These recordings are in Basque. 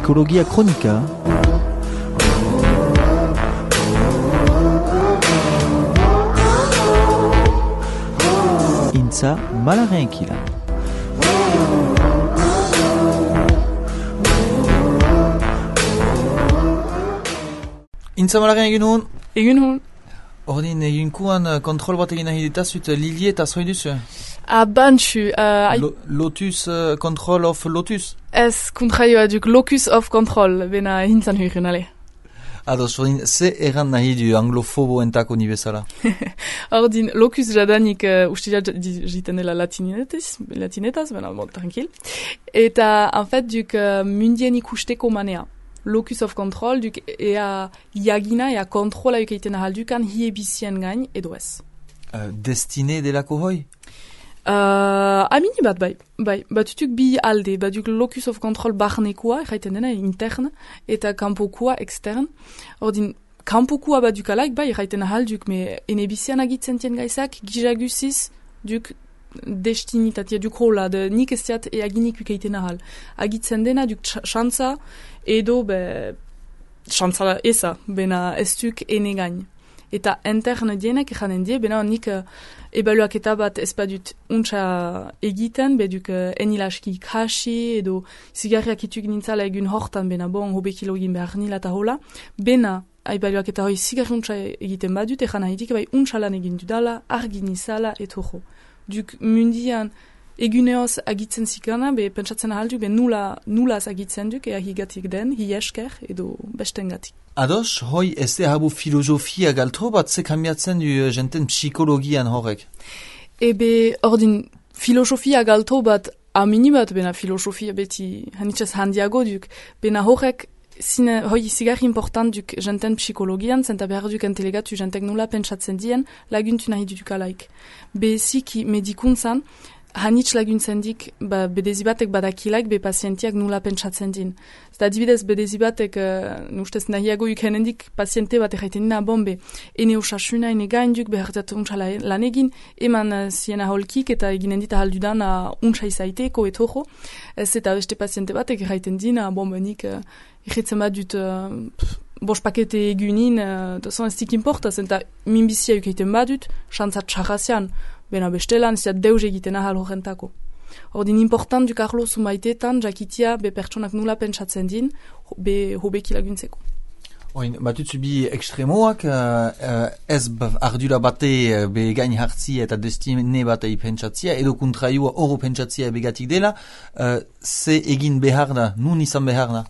Psikologia kronika. Intza Malaren Kila. Intza Malaren egin hon? Egin hon. Ordin eginkuan kontrol bat egin nahi ditazut Lili eta zoi duzu? Bantxu. Lotus, control of Lotus? Ez kontraioa duk locus of control, bena hintzan huirun, ale. Ados, ordin, ze erran nahi du anglofobo entako ni bezala? Ordin, locus jadanik ustila jiten dela latinetaz, bena, bon, tranquil. Eta, en fait, duk mundien ikusteko manea. Locus of control, duk ea iagina, ea kontrola eukeiten ahaldukan hiebizien gain edo ez. Destine delako hoi? Amini bat, bai. Batutuk bi alde, batuk locus of control barnekoa, erraiten dena, interne, eta kanpokoa, externe. Ordin, kanpokoa batuk alaik, bai, erraiten ahalduk, me enebizian agitzen tien gaizak, gizagusiz, duk destinitatia, duk hola, nik ez diat eaginik ukeiten ahal. Agitzen dena, duk xantza, edo, xantza eza, bena ez duk ene gain. Eta interne dienek janen die, bena nik ebaluaketa bat ez badut untsa egiten, beduk enilaski ikasi, edo zigarriak ituk nintzala egun hortan, bena bon, hobekilo egin behar nila eta hola, bena ebaluaketa hoi zigarri untsa egiten badut, egan nahitik, bai untsa lan egin dudala, argin izala, etoro. Duk mundian eguneoz agitzen zikana, be pentsatzen ahalduk, be nulaz agitzen duk, ea higatik den, hi esker, edo bestengatik. Ados, hoi ez de habu filosofia galtro bat ze kamiatzen du jenten psikologian horrek? Ebe, ordin, filosofia galtro bat amini bat, bena filosofia beti hanitzaz handiago duk, bena horrek hoi zigarri important duk jenten psikologian, zenta behar duk entelegatu jentek nula pentsatzen dien, laguntu nahi duk alaik. Be ziki medikuntzan, hanitz laguntzen dik, bedezibatek badakilaik, be pazientiak nula pentsatzen din. Zeta adibidez, bedezibatek, nustez nahiago ukenen dik, paziente bat erraiten dina, bombe, ene osasuna, ene gainduk, behartzat untsa lan egin, eman ziena holkik, eta eginen dit ahaldudan untsa izaiteko, etoro. Ez eta beste paziente batek erraiten dina, bombe, nik erretzen bat dut bos pakete egunin, dozon ez dik importa, zenta minbizia ukeiten bat dut, xantzat txarrazian, bena bestelan, ez deus egiten ahal horrentako. Ordin important duk arlo zumaitetan, jakitia be pertsonak nula pentsatzen din, be hobeki laguntzeko. Oin, batutzu bi ekstremoak, ez ardura bate be gain hartzia eta destine batei pentsatzia, edo kontraiua oro pentsatzia begatik dela, ze egin behar da, nun izan behar da?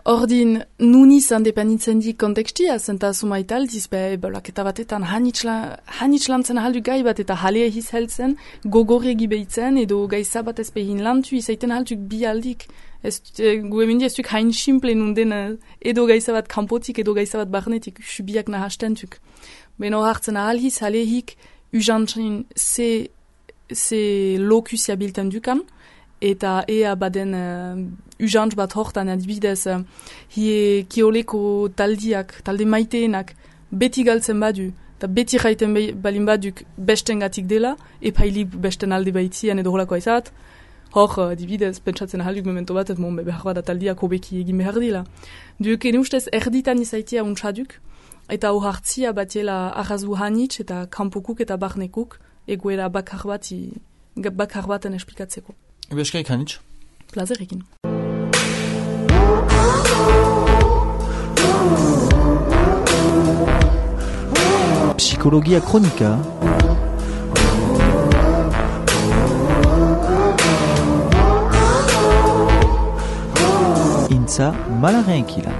Ordin, nun izan dependitzen dik kontekstia, zenta sumaitaldiz, ebaluaketa batetan hanitz lantzen ahaldu gai bat eta halea hiz heltzen, gogorregi behitzen, edo gaiza bat ez behin lantu izaiten ahalduk bi aldik. Gu emendi ez duk hain simple nunden edo gaiza bat kanpotik, edo gaiza bat barnetik, subiak nahastentuk. Beno hartzen ahal hiz, halehik, ujantzin ze lokusia bilten dukan, eta ea baden ujantz bat hortan adibidez kioleko talde maiteenak beti galtzen badu, eta beti jaiten balin baduk bestengatik dela, epailik besten alde baitzian edo holako aizat, hor adibidez pentsatzen ahalduk memento bat, behar bada taldiak hobeki egin behar dila. Duk ene ustez erditan izaitia untsaduk, eta hor hartzia batiela arrazu hanitz eta kanpokuk eta barnekuk egoera bakar baten esplikatzeko. Ebe eskarik hanitz? Plazerekin. Psikologia kronika. Intza Malaren Kila.